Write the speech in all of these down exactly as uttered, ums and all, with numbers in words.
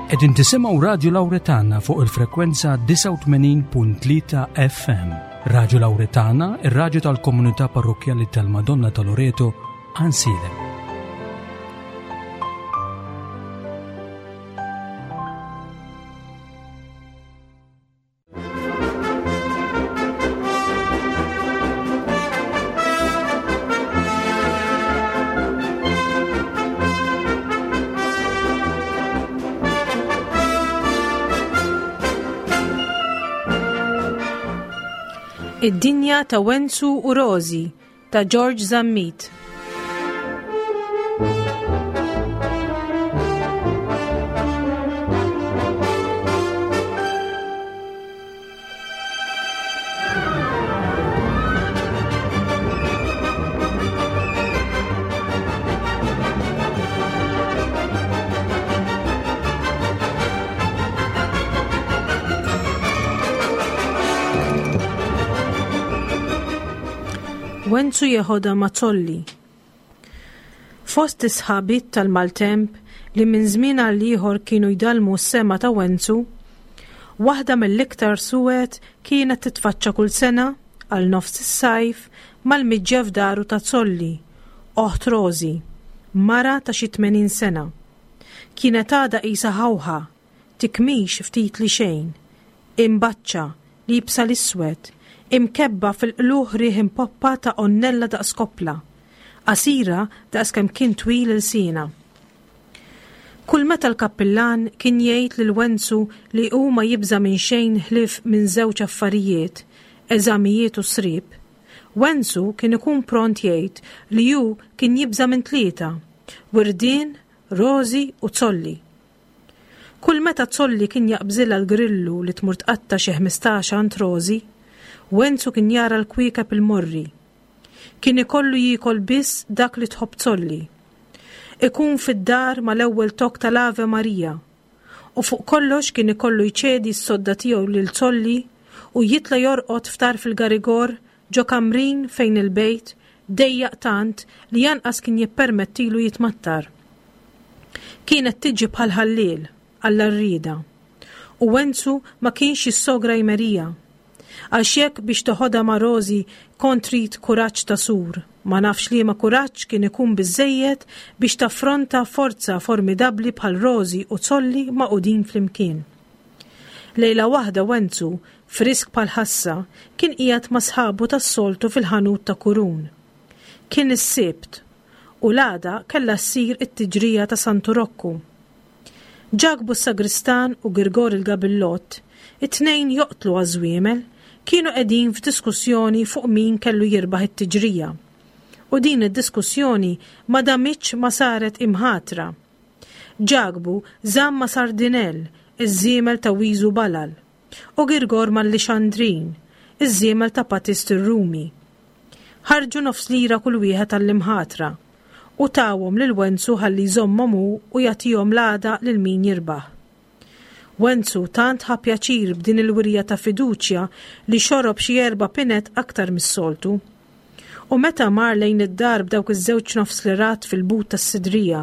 Qegħdin tisimgħu Radio Lauretana fuq il-frekwenza disgħa u tmenin punt tlieta F M. Radio Lauretana, ir-radju tal-Komunità Parrokkjali tal-Madonna ta' Loreto, Għajnsielem. Id-dinja ta' Wenzu u Rozi ta' George Zammit. Wenzu jeħodha ma' Zolli. Fost is-sħabiet tal-maltemp li minn żmien għal ieħor kienu jdallmu s-sema ta' Wenzu, waħda mill-iktar suwed kienet titfaċċa kull sena għal nofs is-sajf mal-miġja f'daru ta' Zolli, oħt Rozi, mara ta' xi tmenin sena. Kienet għadha qisha ħawħa, tikmix ftit li xejn, imbaċċa, liebsa l-iswed, imkebba fil-qlugħ riħ impoppa ta' għonnella daqs koppla, qasira daqs kemm kien twil ilsienha. Kull meta l-kappillan kien jgħid lil Wenzu li hu ma jibża' minn xejn ħlief minn żewġ affarijiet, eżamijiet u srib, Wenzu kien ikun pront jgħid li hu kien jibża' minn tlieta, wirdien, Rozi u Zolli. Kull meta Zolli kien jaqbżilha l-grillu li tmur tqatta' xi ħmistax għand Rozi, Wenzu kien jara l-kwiekeb il-morri. Kien ikollu jiekol biss dak li tħobb Zolli. Ikun fid-dar mal-ewwel tok tal-Ave Maria. U fuq kollox kien ikollu jċedi s-sodda tiegħu lil Zolli u jitla' jorqod ftar fil-garigor ġo kamrin fejn il-bejt dejjaq tant li janqas kien jippermettilu jitmattar. Kienet tiġi bħal ħalliel għall-arrieda. U Wenzu ma kienx jissogra jmerija. Għax jekk biex toħodha ma' Rozi kont trid kuraġġ ta' sur, ma nafx liema kuraġġ kien ikun biżejjed biex taffronta forza formidabbli bħal Rozi u Zolli magħqudin flimkien. Lejla waħda Wenzu, frisk bħal ħassa, kien qiegħed ma' sħabu tas-soltu fil-ħanut ta' Kurun. Kien is-Sibt u l-għada kellha ssir it-tiġrija ta' Santu Rokku. Ġakbu s-Sagristan u Girgor il-Gabillott, it-tnejn joqtlu għaż-żwiemel, kienu qegħdin f'diskussjoni fuq min kellu jirbaħ it-tiġrija. U din id-diskussjoni ma damitx ma saret imħatra. Ġakbu żamm ma' Sardinell, iż-żiemel ta' Wiżu Balal, u Girgor mal-Lixandrin, iż-żiemel ta' Patist ir-Rumi. Ħarġu nofs lira kull wieħed għall-imħatra u tawhom lil Wenzu ħalli jżommhom hu u jagħtihom l-għada lil min jirbaħ. Wenzu tant ħa pjaċir b'din il-wirja ta' fiduċja li xorob xi erba' pinet aktar mis-soltu. U meta mar lejn id-dar b'dawk iż-żewġ nofs lirat fil-but tas-sidrija,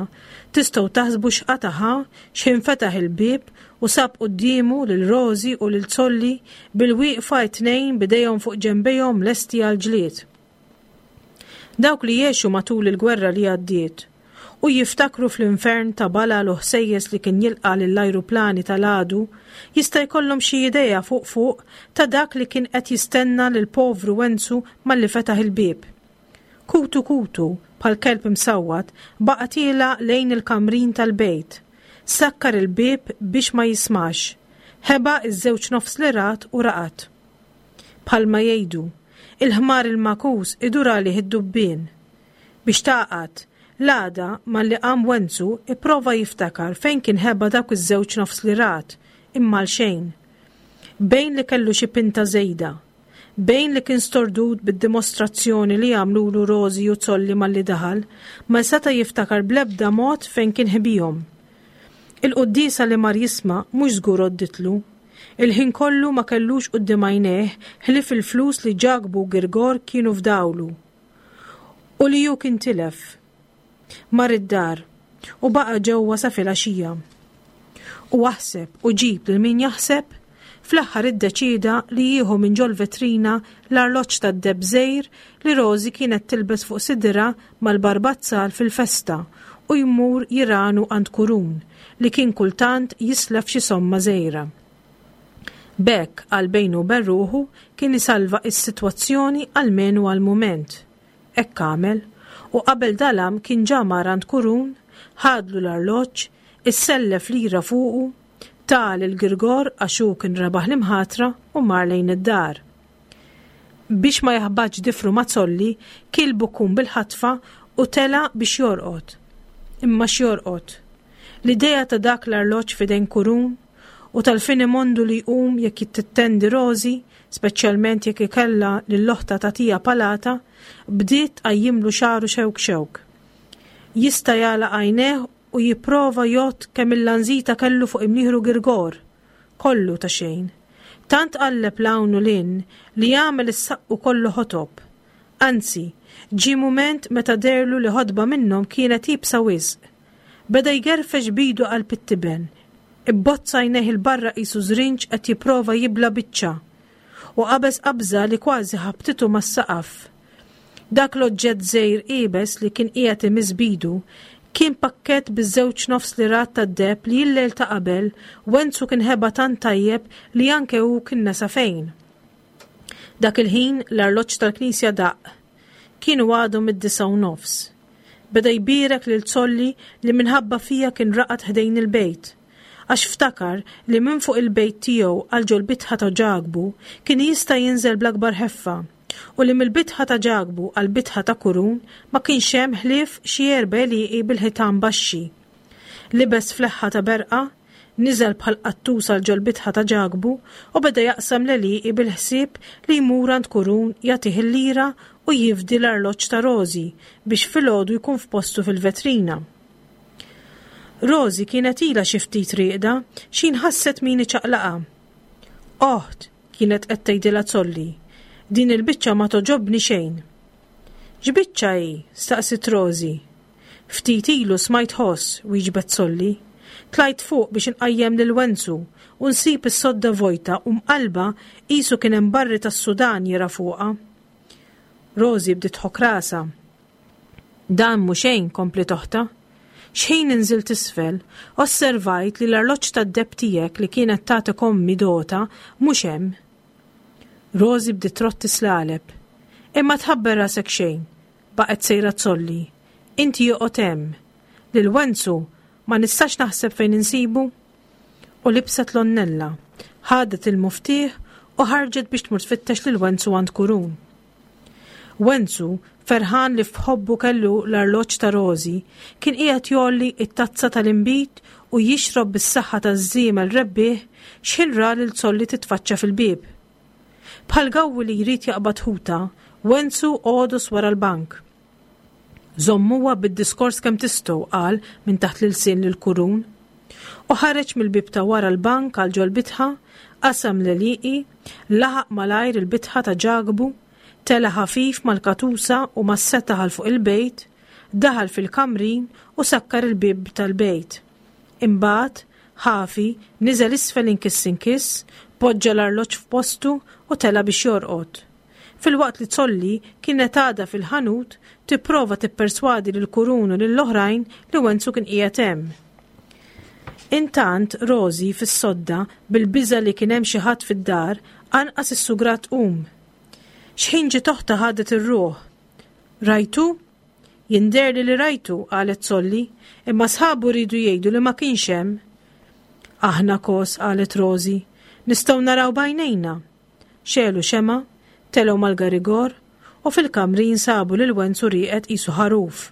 tistgħu taħsbu x'qata' ħa x'ħin fetaħ il-bieb u sab quddiemu lil Rozi u lil Zolli bil-wieqfa t-tnejn b'idejhom fuq ġenbejhom lesti għal ġlied. Dawk li jgħixu matul il-gwerra li għaddiet u jiftakru fl-infern ta' balal u ħsejjes li kien jilqa' lill-ajruplani tal-għadu, jista' jkollhom xi idea fuq fuq ta' dak li kien qed jistenna lil povru Wenzu malli fetaħ il-bieb. Kutu kutu, bħal kelb imsawwat, baqa' tiela' lejn il-kamrin tal-bejt. Sakkar il-bieb biex ma jismax. Ħeba iż-żewġ nofs lirat u raqad. Bħalma jgħidu, il-ħmar il-magħkus idur għalih id-dubbien. Biex taqgħad, l-għada malli qam Wenzu ipprova jiftakar fejn kien ħeba dawk iż-żewġ nofs lirat, imma xejn. Bejn li kellu xi pinta żejda, bejn li kien stordut bid-dimostrazzjoni li għamlulu Rozi u Zolli malli daħal, ma seta' jiftakar bl-ebda mod fejn kien ħbihom. Il-quddiesa li mar jisma' mhux żgur għodditlu. Il-ħin kollu ma kellux quddiem għajnejh ħlief il-flus li Ġakbu u Girgor kienu fdawlu u li hu kien tilef. Mar id-dar u baqa' ġewwa sa filgħaxija. U aħseb u ġib lil min jaħseb, fl-aħħar iddeċieda li jieħu minn ġol-vetrina l-arloġġ tad-deheb żgħir li Rosie kienet tilbes fuq sidirha mal-barbazzal fil-festa u jmur jiranu għand Kurun li kien kultant jislef xi somma żgħira. B'hekk għal bejnu u bejn ruħu kien isalva s-sitwazzjoni almenu għal mument. Hekk għamel u qabel dalam kien ġa mar għand Kurun, ħadlu l-arloġġ, issellef lira fuqu, ta lil Girgor għax hu kien rebaħ l-imħatra u mar lejn id-dar. Biex ma jaħbatx difru ma' Zolli, kiel bukkun bil-ħatfa u tela' biex jorqod. Imma x'jorqod? L-idea ta' dak l-arloġġ f'idejn Kurun u tal-finimondu li jqum jekk tittendi Rosie, speċjalment jekk ikella lil oħtha tagħtiha palata, bdiet tqajjimlu xagħru xewk xewk. Jista' jagħlaq għajnejh u jipprova jgħodd kemm il-lanżita kellu fuq imnieħru Girgor. Kollu ta' xejn. Tant qalleb 'l hawn u 'l hinn li għamel is-saqqu kollu ħotob. Anzi, ġie mument meta deherlu li ħotba minnhom kienet iebsa wisq. Beda jgerfex b'idu qalb it-tiben. Ibbozza għajnejh 'il barra qisu żrinġ qed jipprova jibla' biċċa. U qabeż qabża li kważi ħabtitu mas-saqaf. Dak l-oġġett żgħir iebes li kien qiegħed imiss b'idu kien pakkett biż-żewġ nofs lirat tad-deheb li l-lejl ta' qabel Wenzu kien ħeba tant tajjeb li anke hu kien nesa fejn. Dak il-ħin l-arloġġ tal-knisja daqq. Kienu għadhom id-disgħa u nofs. Beda jbierek lil Zolli li minħabba fija kien raqad ħdejn il-bejt. Għax ftakar li minn fuq il-bejt tiegħu għal ġol-bitħa ta' Ġakbu kien jista' jinżel bl-akbar ħeffa u li mill-bitħa ta' Ġakbu għal bitħa ta' Kurun ma kienx hemm ħlief xi erba' għelieqi bil-ħitan baxxi. Libes fleħħa ta' berqa, niżel bħal qattus għal ġol-bitħa ta' Ġakbu u beda jaqsam l-għelieqi bil-ħsieb li jmur għand Kurun jagħtih il-lira u jifdi l-arloġġ ta' Rosie biex filgħodu jkun f'postu fil-vetrina. Rosie kienet ilha xi ftit rieqda x'ħin ħasset min iċaqlaqha. Oħt, kienet qed tgħidilha Zolli, din il-biċċa ma togħġobni xejn. X'biċċa hi? Staqsiet Rosie. Ftit ilu smajt ħoss, wieġbet Zolli. Tlajt fuq biex inqajjem lil Wenzu u nsib is-sodda vojta u mqalba qisu kien hemm barri tas-Sudan jira fuqha. Rosie bdiet tħokk rasha. Dan mhu xejn, kompliet oħtha. X'ħin inżilt isfel, osservajt li l-arloġġ tad-deheb tiegħek li kienet tagħtek ommi dota mhux hemm. Rosie bdiet trotti slaleb. Imma tħabbar rasek xejn, baqgħet sejra Zolli. Inti joqgħod hemm. Lil Wenzu ma nistax naħseb fejn insibu. U libset l-onnella, ħadet il-muftieħ u ħarġet biex tmur tfittex lil Wenzu għand Kurun. Wenzu, ferħan li f'ħobbu kellu l-arloġġ ta' Rosie, kien qiegħed jgħolli it-tazza tal-inbid u jixrob bis-saħħa taż-żiemel rebbieħ x'ħin ra lil Zolli titfaċċa fil-bieb. Bħal gawwi li jrid jaqbad ħuta, Wenzu għodos wara l-bank. Żommuha bid-diskors kemm tistgħu, qal minn taħt l-ilsien lil Kurun. U ħareġ mill-bieb ta' wara l-bank għal ġol-bitħa, qasam l-għelieqi, laħaq malajr il-bitħa ta' Ġakbu, tela ħafif mal-katusa u mas-seta għal fuq il-bejt, daħal fil-kamrin u sakkar il-bieb tal-bejt. Imbagħad, ħafi, niżel isfel inkiss inkiss, poġġa l-arloġġ f'postu u tela biex jorqod. Filwaqt li Zolli kienet għadha fil-ħanut tipprova tipperswadi lil Kurun u lill-oħrajn li Wenzu kien qiegħed hemm. Intant Rosie fis-sodda bil-biża li kien hemm xi ħadd fid-dar anqas is-sugrat qum. X'ħin ġiet oħtha ħadet ir-ruħ. Rajtu? Jinderli li rajtu, qalet Zolli, imma sħabu rridu jgħidu li ma kienx hemm. Aħna kos, qalet Rosie, nistgħu naraw b'għajnejna. Xegħlu xemgħa, telgħu mal-garigor u fil-kamrin sabu lil Wenzu rieqed qisu ħaruf.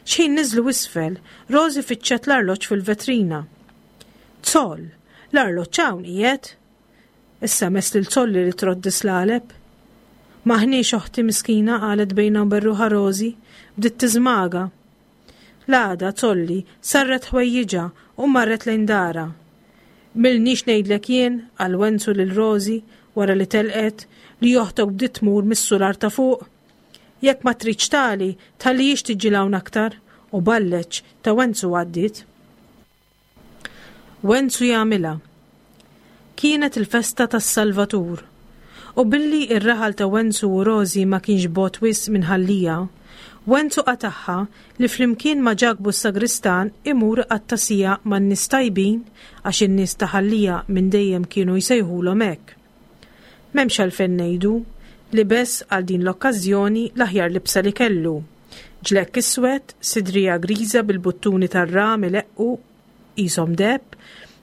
X'ħin niżlu isfel, Rosie fittxet l-arloġġ fil-vetrina. Zoll, l-arloġġ hawn qiegħed. Issa mess lil Zolli li trodd slaleb. M'aħniex oħti miskina, qalet bejna u bejn ruħha Rosie, bdiet tiżmaga. L-għada Zolli sarret ħwejjiġha u marret lejn dara. M'ilnix ngħidlek jien, qal Wenzu lil Rosie wara li telqet, li oħtok bdiet tmur mis-sular ta' fuq. Jekk ma tridx tali, tħallihiex tiġi hawn aktar, u balleċ ta' Wenzu għaddiet. Wenzu jagħmilha. Kienet il-festa tas-Salvatur. U billi ir-raħal ta' Wenzu u Rożi ma kienx bogħod wisq minn Ħal Lija, Wenzu qatagħha li flimkien ma' Ġakbu s-sagristan imur iqatta' siegħa man-nies tajbin għax in-nies ta' Ħal Lija minn dejjem kienu jsejħulhom hekk. M'hemmx għalfejn ngħidu, libes għal din l-okkażjoni l-aħjar libsa li kellu. Ġlekk iswed, sidrija griża bil-buttuni tar-ram ileqqu qishom deheb,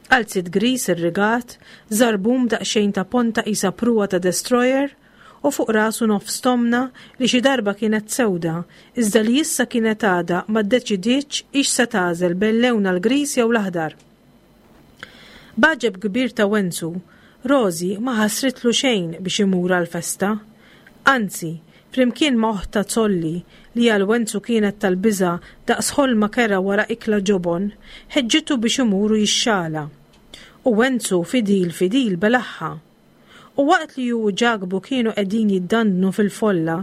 qalziet griż irrigat, żarbun b'daqsxejn ta' ponta qisha pruwa ta' destroyer, u fuq rasu nofs tomna li xi darba kienet sewda, iżda li issa kienet għadha ma ddeċidietx hix se tagħżel bejn lewnha l-griż jew l-aħdar. B'għaġeb kbir ta' Wenzu, Rożi ma ħasritlu xejn biex imur għall-festa. Anzi, flimkien ma' oħtha Zolli, li għal Wenzu kienet tal-biża' daqs ħolma kerha wara ikla ġobon, ħeġġitu biex imur u jixxala. U Wenzu fidil fidil belagħha. U waqt li hu u Ġakbu kienu qegħdin jiddandnu fil-folla,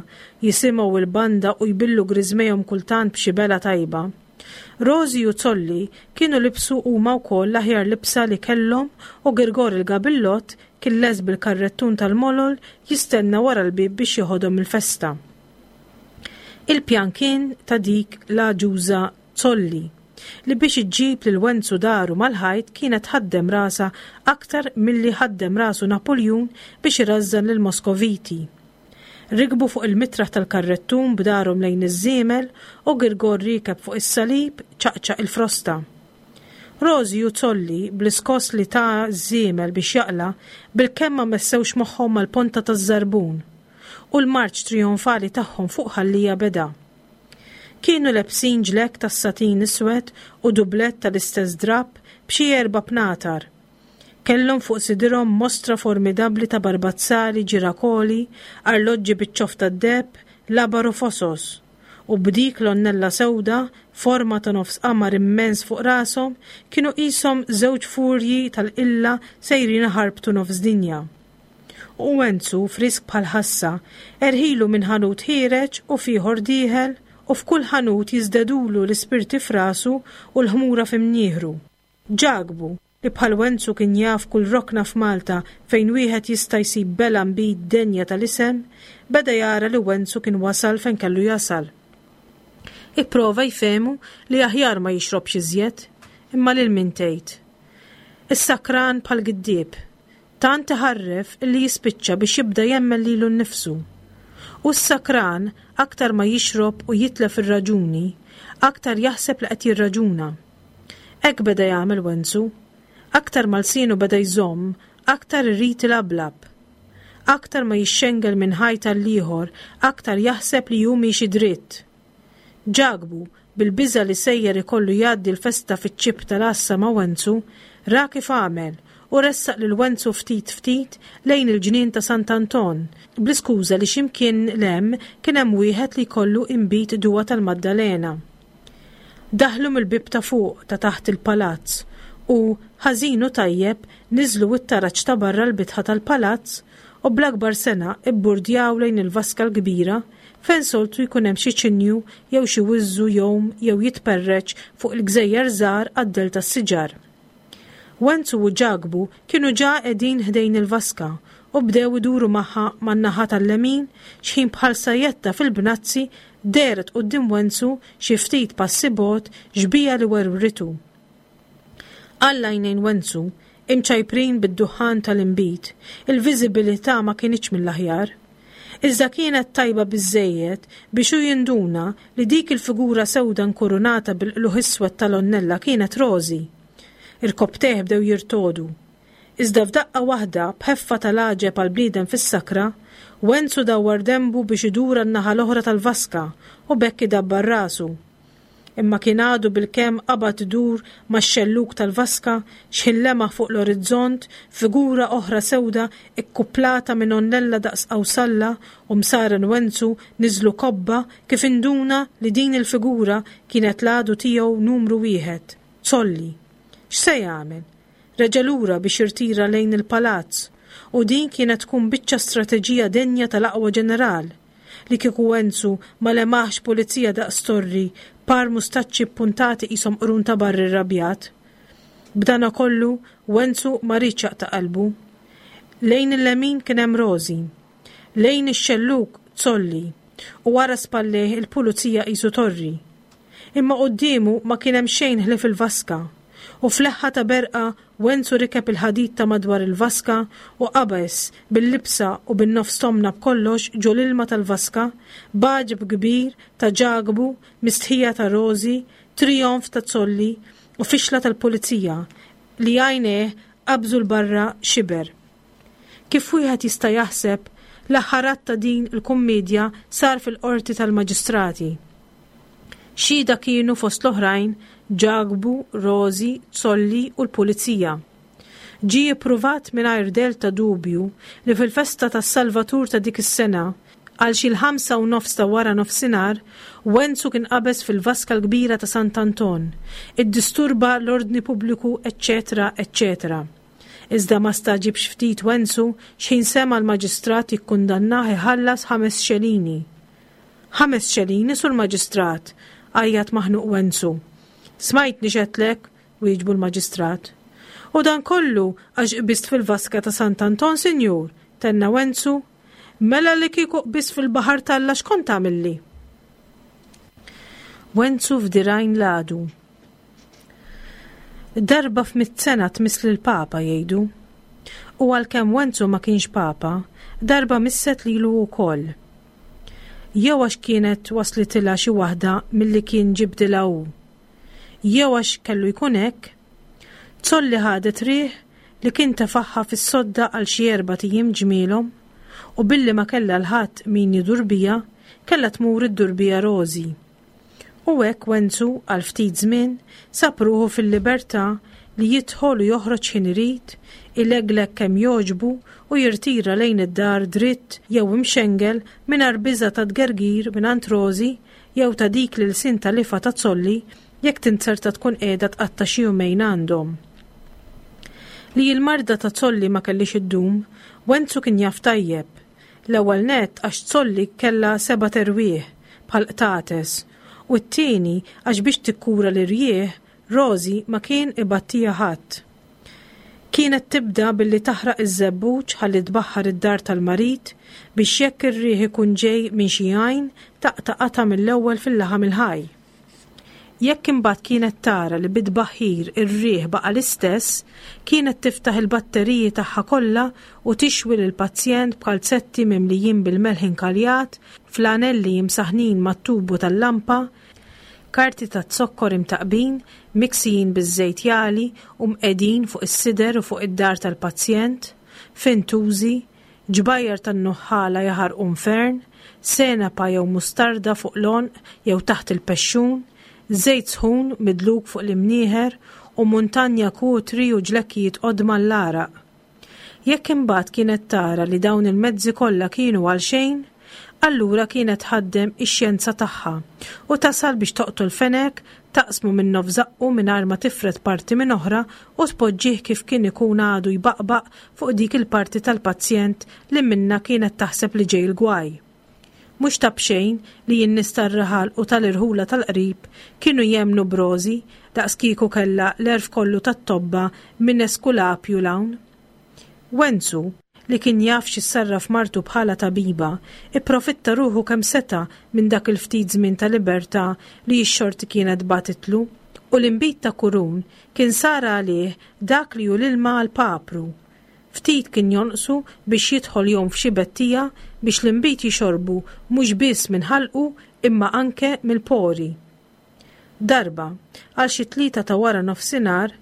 jisimgħu l-banda u jbillu griżmejhom kultant b'xi bela tajba, Rożi u Zolli kienu libsu huma wkoll l-aħjar libsa li kellhom u Girgor il-Gabillott kien lest bil-karrettun tal-molol jistenna wara l-bieb biex jeħodhom il-festa. Il-pjan kien ta' dik l-għaġuża Zolli, li biex iġġib lil Wenzu daru mal-ħajt kienet ħaddem rasha aktar milli ħaddem rasu Napoljun biex irażżan lil Moskoviti. Rikbu fuq il-mitraħ tal-karrettun b'darhom lejn iż-żiemel u Girgor rikeb fuq is-salib ċaqċaq il-frosta. Rożi u Zolli bl-iskoss li ta' żiemel biex jaqla' bilkemm ma messewx moħħhom mal-ponta taż-żarbun u l-marċ trijonfali tagħhom fuq Ħal Lija beda. Kienu lebsin ġlekk tas-satin iswed u dublett tal-istess drapp b'xi erba' bnatar. Kellhom fuq sidirhom mostra formidabbli ta' barbazzali, ġirakoli, arloġġi biċ-ċoff tad-deheb, labar u fosos. U b'dik l-onnella sewda, forma ta' nofs qamar immens fuq rashom, kienu qishom żewġ furji tal-qilla sejrin iħarbtu nofs dinja. U Wenzu, frisk bħal ħassa, erħilu minn ħanut ħiereġ u f'ieħor dieħel, u f'kull ħanut jiżdedulu l-ispirti f'rasu u l-ħmura f'imnieħru. Ġakbu, li bħal Wenzu kien jaf kull rokna f'Malta fejn wieħed jista' jsib bela nbid denja tal-isem, beda jara li Wenzu kien wasal fejn kellu jasal. Ipprova jfehmu li aħjar ma jixrobx iżjed, imma lil min tgħid. Is-sakran bħal giddieb, tant iħarref illi jispiċċa biex jibda jemmen lilu nnifsu. U s-sakran aktar ma jixrob u jitlef ir-raġuni, aktar jaħseb li qed jirraġuna. Hekk beda jagħmel Wenzu. Aktar ma lsienu beda jżomm, aktar irid ilablab. Aktar ma jixxengel minn ħajt għall-ieħor, aktar jaħseb li hu miexi dritt. Ġakbu, bil-biża' li sejjer ikollu jgħaddi l-festa fiċ-ċipp tal-għassa ma' Wenzu, ra kif għamel u ressaq lil Wenzu ftit ftit lejn il-ġnien ta' Sant'Anton, bl-iskuża li x'imkien 'l hemm kien hemm wieħed li jkollu inbid duwa tal-Maddalena. Daħlu mill-bieb ta' fuq ta' taħt il-palazz u, ħażin u tajjeb, niżlu t-taraġ ta' barra l-bitħa tal-palazz u bl-akbar sena ibburdjaw lejn il-vaska l-kbira fejn soltu jkun hemm xi ċinju jew xi wiżżu jgħum jew jitperreċ fuq il-gżejjer żgħar għad-dell tas-siġar. Wenzu u Ġakbu kienu ġa qegħdin ħdejn il-vaska u bdew iduru magħha man-naħa tal-lemin xħin bħal sajjetta fil-bnazzi dehret quddiem Wenzu xi ftit passi bogħod xbieha li werwritu. Għal għajnejn Wenzu, imċajprin bid-duħħan tal-inbid, il-viżibilità ma kinitx mill-aħjar. Iżda kienet tajba biżżejjed biex hu jinduna li dik il-figura sewda nkurunata bil-qluħ iswed tal-onnella kienet Rożi. Irkobtejh bdew jirtodu. Iżda f'daqqa waħda, b'ħeffa tal-għaġeb għal bniedem fis-sakra, Wenzu dawwar denbu biex idur għan-naħa l-oħra tal-vaska u b'hekk idabbar rasu. Imma kien għadu bilkemm qabad idur max-xellug tal-vaska xħin lemaħ fuq l-orizzont figura oħra sewda ikkuplata minn onnella daqs qawsalla u msaren Wenzu niżlu kobba kif induna li din il-figura kienet l-għadu tiegħu numru wieħed, Zolli. X'se jagħmel? Reġa' lura biex jirtira lejn il-palazz u din kienet tkun biċċa strateġija denja tal-aqwa ġeneral. Li kieku Wenzu ma lemaħx pulizija daqs torri, par mustaċċi ppuntati qishom qrun ta' barri rrabjat. B'dana kollu, Wenzu ma riedx jaqta' qalbu. Lejn il-lemin kien hemm Rożi, lejn ix-xellug Zolli, u wara spallejh il-pulizija qisu torri. Imma quddiemu ma kien hemm xejn ħlief il-vaska, u f'leħħa ta' berqa Wenzu rikeb il-ħadid ta' madwar il-vaska u qabeż bil-libsa u bin-nofs tomna b'kollox ġo l-ilma tal-vaska, b'għaġeb kbir ta' Ġakbu, mistħija ta' Rożi, trijonf ta' Zolli u fixla tal-pulizija li għajnejh qabżu 'l barra xiber. Kif wieħed jista' jaħseb, l-aħħar att ta' din il-kummiedja sar fil-qorti tal-maġistrati. Xhieda kienu fost l-oħrajn Ġakbu, Rożi, Zolli u l-pulizija. Ġie ippruvat mingħajr dell ta' dubju li fil-festa tas-Salvatur ta' dik is-sena, għal xi l-ħamsa u nofs ta' wara nofsinhar, Wenzu kien qabeż fil-vaska l-kbira ta' Sant'Anton, iddisturba l-ordni pubbliku, eċċetera, eċċetera. Iżda ma stagħġibx ftit Wenzu x'ħin sema' l-maġistrat jikkundannah iħallas ħames xelini. Ħames xelini, sur maġistrat, għajjat maħnuq Wenzu. Smajtni x'għedtlek, wieġbu l-maġistrat. U dan kollu għax qbist fil-vaska ta' Sant'Anton, sinjur, tenna Wenzu. Mela li kieku qbist fil-baħar t'Alla x'kont tagħmilli? Wenzu f'dirgħajn l-għadu. Darba f'mitt sena tmiss lill-Papa jgħidu. U għalkemm Wenzu ma kienx Papa, darba misset lilu wkoll. Jew għax kienet waslitilha xi waħda milli kien ġibdilha hu. Jew għax kellu jkun hekk, Zolli ħadet riħ li kien tefagħha fis-sodda għal xi erbat ijiem ġmielhom u billi ma kellha l-ħadd min jidur biha, kellha tmur iddur biha Rożi. U hekk Wenzu għal ftit żmien sab ruħu fil-libertà li jidħol u joħroġ x'ħin irid, ilegleg kemm jogħġbu u jirtira lejn id-dar dritt jew imxengel mingħajr biża' ta' tgergir mingħand Rożi jew ta' dik l-ilsien tal-lifgħa ta' Zolli jekk tinzerta tkun qiegħda tqatta' xi jumejn għandhom. Li l-marda ta' Zolli ma kellhiex iddum, Wenzu kien jaf tajjeb. L-ewwel nett għax Zolli kellha sebat erwieħ bħal qtates u t-tieni għax biex tikkura l-irjieħ Rożi ma kien ibattiha ħadd. Kienet tibda billi taħraq iż-żebbuġ ħalli tbaħħar id-dar tal-marid biex jekk ir-riħ ikun ġej minn xi għajn taqta' qatgħa mill-ewwel fil-laħam il-ħaj. Jekk imbagħad kienet tara li bit-tbaħħir ir-riħ baqa' l-istess, kienet tiftaħ il-batteriji tagħha kollha u tixwi lill-pazjent b'kalzetti mimlijin bil-melħ inkaljat, flanelli imsaħħnin mat-tubu tal-lampa, karti ta' zokkor imtaqbin, miksijin biż-żejt jagħli u mqegħdin fuq is-sider u fuq id-dar tal-pazjent, fintużi, ġbajjar tan-nuħħala jaħarqu nfern, senapa jew mustarda fuq l-għonq jew taħt il-pexxun, żejt sħun midluk fuq l-imnieħer u muntanja kutri u ġlekkijiet qodma l-għaraq. Jekk imbagħad kienet tara li dawn il-mezzi kollha kienu għal xejn, allura kienet tħaddem ix-xjenza tagħha u tasal biex toqtol fenek, taqsmu minn nofs żaqqu mingħajr ma tifred parti minn oħra u tpoġġih kif kien ikun għadu jbaqbaq fuq dik il-parti tal-pazjent li minnha kienet taħseb li ġej il-gwaj. Mhux ta' b'xejn li n-nies tar-raħal u tal-irħula tal-qrib kienu jemmnu b'Rożi daqs kieku kellha l-għerf kollu tat-tobba minn Eskulapju 'l hawn. Wenzu, li kien jaf x'issarraf martu bħala tabiba, ipprofitta ruħu kemm seta' minn dak il-ftit żmien ta' libertà li x-xorti kienet bagħtitlu, u l-inbid ta' Kurun kien sar għalih dak li hu l-ilma għall-papru. Ftit kien jonqsu biex jidħol jgħum f'xi bettija biex l-inbid jixorbu mhux biss minn ħalqu imma anke mill-pori. Darba, għal xi tlieta ta' wara nofsinhar,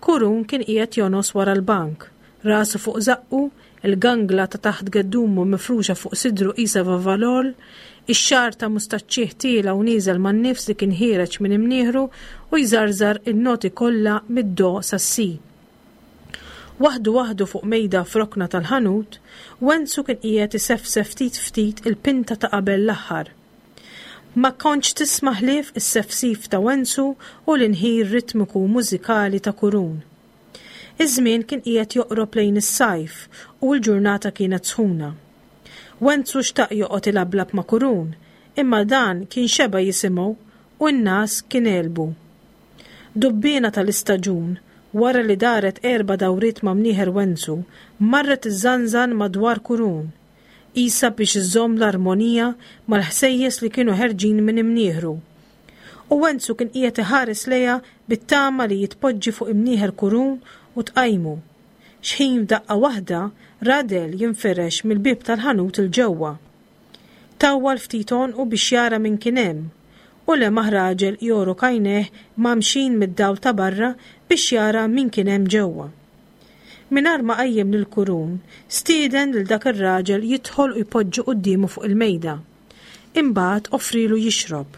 Kurun kien qiegħed jonos wara l-bank, rasu fuq żaqqu, il-gangla ta' taħt geddumu mifruxa fuq sidru qisha vavalol, ix-xagħar ta' mustaċċih tiela' u nieżel man-nifs li kien ħiereġ minn imnieħru u jżarżar in-noti kollha mid-do sas-si. Waħdu waħdu fuq mejda f'rokna tal-ħanut, Wenzu kien qiegħed isefsef ftit ftit il-pinta ta' qabel l-aħħar. Ma kontx tisma' ħlief is-sefsif ta' Wenzu u l-inħir ritmiku mużikali ta' Kurun. Iż-żmien kien qiegħed joqrob lejn is-sajf u l-ġurnata kienet sħuna. Wenzu xtaq joqgħod ilablab ma' Kurun, imma dan kien xeba' jisimgħu u n-nas kien għelbu. Dubbiena tal-istaġun Wara li daret erba' dawriet ma' mnieħer Wenzu, marret iżżanżan madwar Kurun, qisha biex iżżomm l-armonija mal-ħsejjes li kienu ħerġin minn imnieħru. U Wenzu kien qiegħed iħares lejha bit-tama li jitpoġġi fuq imnieħer Kurun u tqajmu. Xħin f'daqqa waħda ra dell jinfirex mill-bieb tal-ħanut 'il ġewwa. Tawwal ftit għonqu biex jara min kien hemm u lemaħ raġel jogħrok għajnejh mgħammxin mid-dawl ta' barra biex jara min kien hemm ġewwa. Mingħajr ma qajjem lil Kurun, stieden lil dak ir-raġel jidħol u jpoġġi quddiemu fuq il-mejda. Imbagħad offrilu jixrob.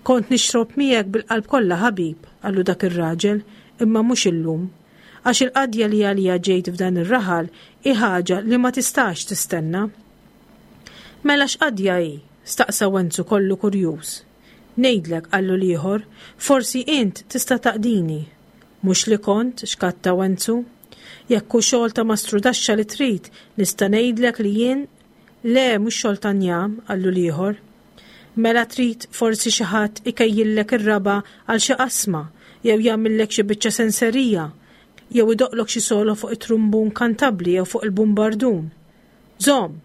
Kont nixrob miegħek bil-qalb kollha ħabib, qallu dak ir-raġel, imma mhux illum. Għax il-qadja li għalija ġejt f'dan ir-raħal hi ħaġa li ma tistax tistenna. Mela x'qadja hi? Staqsa Wenzu kollu kurjuż. Ngħidlek, qallu l-ieħor, forsi int tista' taqdini. Mhux li kont, xkatta Wenzu. Jekk hu xogħol ta' mastrudaxxa li trid, nista' ngħidlek li jien Le, mhux xogħol ta' njam, qallu l-ieħor. Mela trid forsi xi ħadd ikejjillek ir-raba' għal xi qasma, jew jagħmillek xi biċċa senserija, jew idoqqlok xi solo fuq it-trumbun kantabbli jew fuq il-bumbardun. Żomm,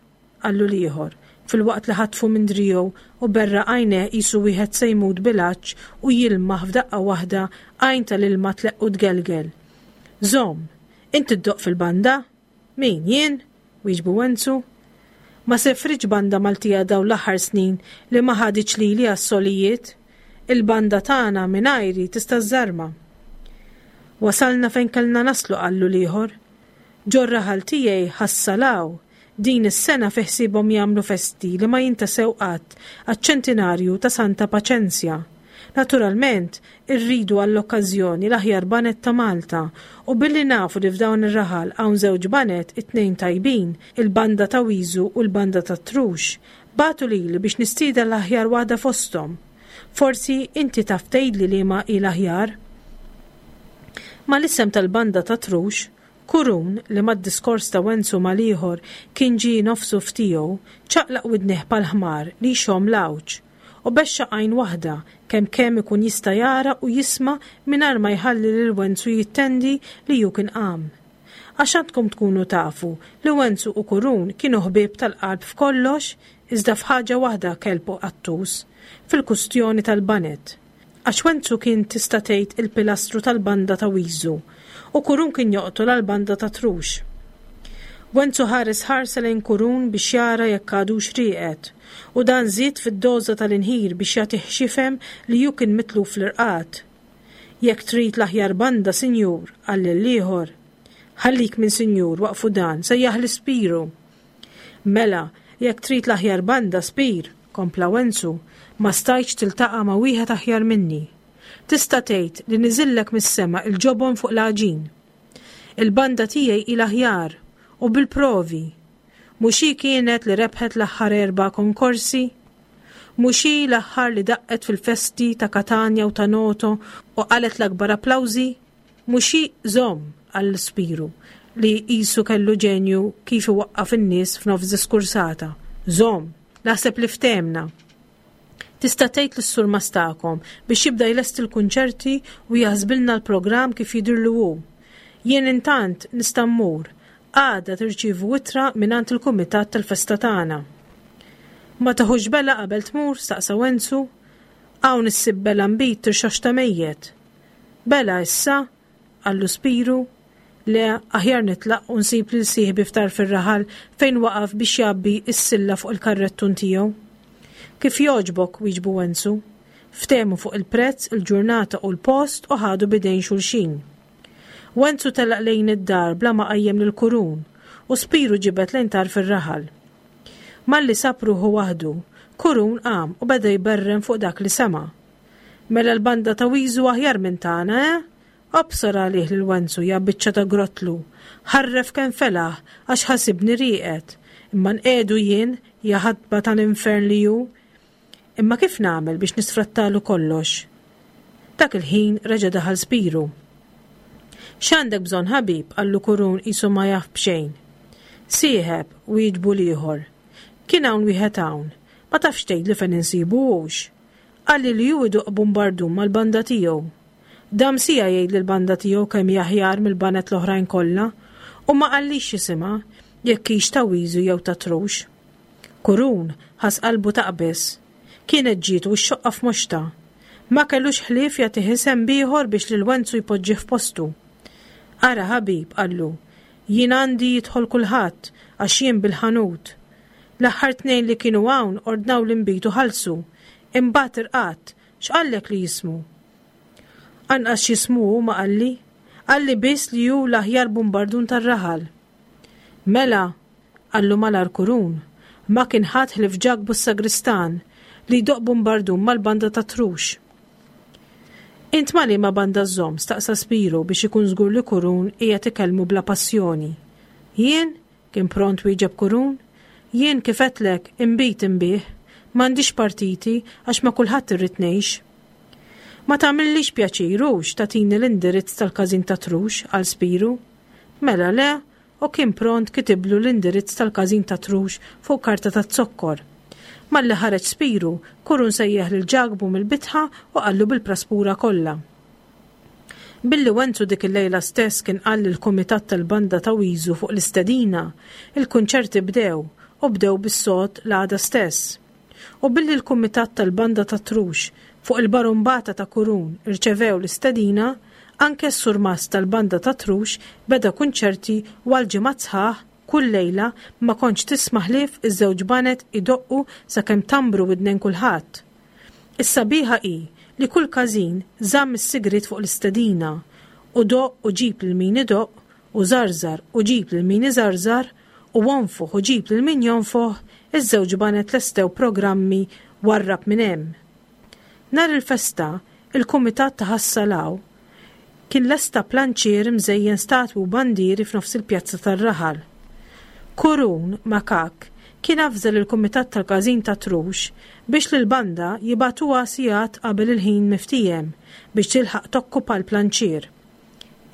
qallu l-ieħor, filwaqt li ħatfu minn driegħu u berraq għajnejh qisu wieħed se jmut bil-għatx u jilmaħ f'daqqa waħda għajn tal-ilma tleqq u tgelgel. Żomm, int iddoqq fil-banda? Min, jien? Wieġbu Wenzu. Ma sefritx banda Maltija dawn l-aħħar snin li ma ħaditx lili għas-solijiet. Il-banda tagħna mingħajri tista' żżarma. Wasalna fejn kellna naslu, qallu l-ieħor. Ġor-raħal tiegħi ħassalaw. Din is-sena fi ħsiebhom jagħmlu festi li ma jintasew qatt għaċ-ċentinarju ta' Santa Paċenzja. Naturalment, irridu għall-okkażjoni l-aħjar baned ta' Malta u billi nafu li f'dawn ir-raħal hawn żewġ baned, it-tnejn tajbin, il-banda ta' Wiżu u l-banda ta' Trux, bagħtu lili biex nistieden l-aħjar waħda fosthom. Forsi inti taf tgħidli liema hi l-aħjar? Mal-isem tal-banda ta' Trux, Kurun, li mad-diskors ta' Wenzu mal-ieħor kien ġie nofsu f'tiegħu, ċaqlaq widnejh bħal ħmar li jxomm l-għawġ, u bexxaq għajn waħda kemm kemm ikun jista' jara u jisma' mingħajr ma jħalli lil Wenzu jittendi li hu kien qam. Għax għandkom tkunu tafu li Wenzu u Kurun kienu ħbieb tal-qalb f'kollox iżda f'ħaġa waħda kelb u qattus, fil-kustjoni tal-baned. Għax Wenzu kien tista' tgħid il-pilastru tal-banda ta' Wiżu u Kurun kien joqtol għall-banda ta' Trux. Wenzu ħares ħarsa lejn Kurun biex jara jekk għadux rieqed u dan żied fid-doża tal-inħir biex jagħtih x'jifhem li hu kien mitluf fl-irqad. Jekk trid l-aħjar banda, sinjur, qal lill-ieħor. Ħallik minn sinjur, waqfu dan, sejjaħ l-Ispiru. Mela, jekk trid l-aħjar banda, Spir, kompla Wenzu, ma stajtx tiltaqa' ma' wieħed aħjar minni. Tista' tgħid li niżillek mis-sema il-ġobon fuq l-għaġin. Il-banda tiegħi hi l-aħjar u bil-provi. Mhux hi kienet li rebħet l-aħħar erba' konkorsi? Mhux hi l-aħħar li daqqet fil-festi ta' Katanja u ta' Noto u qalet l-akbar applawżi? Mhux hi żomm, qal Spiru, li qisu kellu ġenju kif iwaqqaf in-nies f'nofs diskursata. Żomm, naħseb li ftehmna. Tista' tgħid lis-surmast tagħkom biex jibda jlesti l-kunċerti u jaħsbilna l-programm kif jidhirlu hu. Jien intant nista' mmur. Għada tirċievu ittra mingħand il-kumitat tal-festa tagħna. Ma taħux bela qabel tmur, staqsa Wenzu. Hawn issib bela nbid tirxoxta mejjet. Bela issa, qallu Spiru. Le, aħjar nitlaq u nsib lil sieħbi f'tarf ir-raħal fejn waqaf biex jgħabbi s-silla fuq il-karrettun tiegħu. Kif jogħġbok, wieġbu Wenzu. Ftehmu fuq il-prezz, il-ġurnata u l-post u ħadu b'idejn xulxin. Wenzu telaq lejn id-dar bla ma qajjem lil Kurun u Spiru ġibed lejn tarf ir-raħal. Malli sab ruħu waħdu, Kurun qam u beda jberren fuq dak li sema'. Mela l-banda ta' Wiżu aħjar minn tagħna, eh? Obsor għalih lil Wenzu ja biċċa ta' grotlu. Ħarref kemm felaħ għax ħasibni rieqed. Imma nqiegħdu jien, ja ħatba tal-infern li hu. Imma kif nagħmel biex nisfrattalu kollox? Dak il-ħin reġa' daħal Spiru. X'għandek bżonn ħabib? Qallu Kurun qisu ma jaf b'xejn. Sieħeb, wieġbu l-ieħor. Kien hawn wieħed hawn. Ma tafx tgħidli fejn insibu hux. Qalli li hu iduq bumbardum mal-banda tiegħu. Dam siegħa jgħid lill-banda tiegħu kemm hi aħjar mill-baned l-oħrajn kollha u ma qallix x'isimha, jekk hix ta' Wiżu jew ta' Trux. Kurun ħass qalbu taqbeż. Kienet ġietu x-xoqqa f'moxtha. Ma kellux ħlief jagħtih isem b'ieħor biex lil Wenzu jpoġġih f'postu. Ara ħabib, qallu, jien għandi jidħol kulħadd għax jien bil-ħanut. L-aħħar tnejn li kienu hawn ordnaw l-inbid u ħallsu. Imbagħad irqadt, x'qallek li jismu? Anqas x'jismu hu ma qalli. Qalli biss li hu l-aħjar bumbardun tar-raħal. Mela, qallu malajr Kurun, ma kien ħadd ħlief Ġakbu s-sagristan li jdoqq bumbardun mal-banda tat-Trux. Int ma' liema banda żżomm? staqsa Spiru biex ikun żgur li Kurun qiegħed ikellmu bla passjoni. Jien? kien pront wieġeb Kurun. Jien kif għedtlek, inbid inbigħ. M'għandix partiti għax ma' kulħadd irrid ngħix. Ma tagħmillix pjaċir hux tagħtini l-indirizz tal-każin tat-Trux, qal Spiru. Mela le, u kien pront kitiblu l-indirizz tal-każin tat-Trux fuq karta taz-zokkor. Malli ħareġ Spiru, Kurun sejjaħ lil Ġakbu mill-bitħa u qallu bil-praspura kollha. Billi Wenzu dik il-lejla stess kien qal lill-kumitat tal-banda ta' Wiżu fuq l-istedina, il-kunċerti bdew u bdew bis-sod l-għada stess. U billi l-kumitat tal-banda tat-Trux fuq il-barumbata ta' Kurun irċevew l-istedina, anke s-surmast tal-banda tat-Trux beda kunċerti u għal ġimgħat sħaħ kull lejla ma kontx tisma' ħlief iż-żewġ baned idoqqu sakemm tambru widnejn kulħadd. Is-sabiħa hi li kull każin żamm is-sigriet fuq l-istedina u doqq u ġib lil min idoqq u żarżar u ġib lil min iżarżar u onfoħ u ġib lil min jonfoħ, iż-żewġ baned lestew programmi warrab minn hemm. Nhar il-festa, il-kumitat ta' Ħas-Salaw kien lesta planċier imżejjen statwi u bandieri f'nofs il-pjazza tar-raħal. Kurun, makakk, kien avża lill-kumitat tal-każin tat-Trux biex lill-banda jibagħtuha sigħat qabel il-ħin miftiehem biex tilħaq tokkupa l-planċier.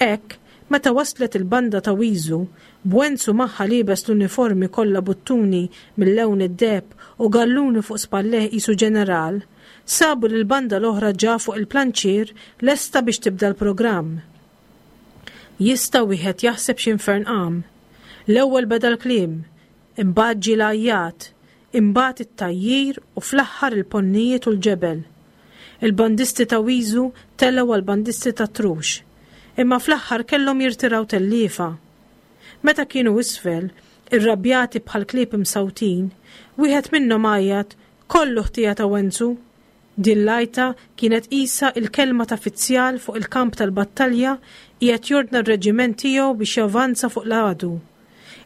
Hekk, meta waslet il-banda ta' Wiżu, b'Wenzu magħha liebes l-uniformi kollha buttuni mil-lewn id-deheb u galluni fuq spallejh qisu ġeneral, sabu lill-banda l-oħra ġa fuq il-planċier lesta biex tibda l-programm. Jista' wieħed jaħseb x'infern qam. L-ewwel beda l-kliem, imbagħad ġie l-għajjat, imbagħad it-tgħajjir u fl-aħħar il-ponnijiet u l-ġebel. Il-bandisti ta' Wiżu telgħu għall-bandisti tat-Trux, imma fl-aħħar kellhom jirtiraw telliefa. Meta kienu isfel, irrabjati bħal klieb imsawtin, wieħed minnhom għajjat, Kollu ħtija ta' Wenzu! Din l-għajta kienet qisha il-kelma ta' fizzjal fuq il-kamp tal-battalja qiegħed jordna r-reġiment tiegħu biex javanza fuq l-għadu.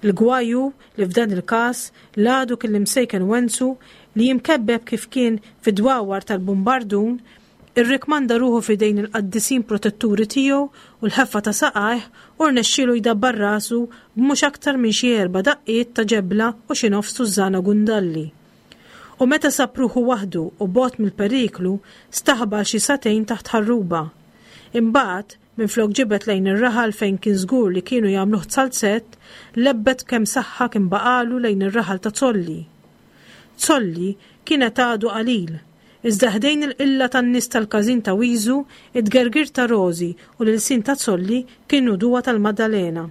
Il-gwaj hu li f'dan il-każ l-għadu kien l-imsejken Wenzu li imkebbeb kif kien fid-dwawar tal-bumbardun irrikmanda ruħu f'idejn il-qaddisin protetturi tiegħu u l-ħeffa ta' saqajh u rnexxielu jdabbar rasu b'mhux aktar minn xi erba' daqqiet ta' ġebla u xi nofs tużżana gundalli. U meta sab ruħu waħdu u bogħod mill-periklu, staħba għal xi sagħtejn taħt ħarruba. Imbagħad, minflok ġibed lejn ir-raħal fejn kien żgur li kienu jagħmluh zalzett, lebbet kemm saħħa kien baqagħlu lejn ir-raħal ta' Zolli. Zolli kienet għadu qalil, iżda ħdejn il-qilla tan-nies tal-każin ta' Wiżu, it-tgergir ta' Rożi u l-ilsien ta' Zolli kienu duwa tal-Maddalena.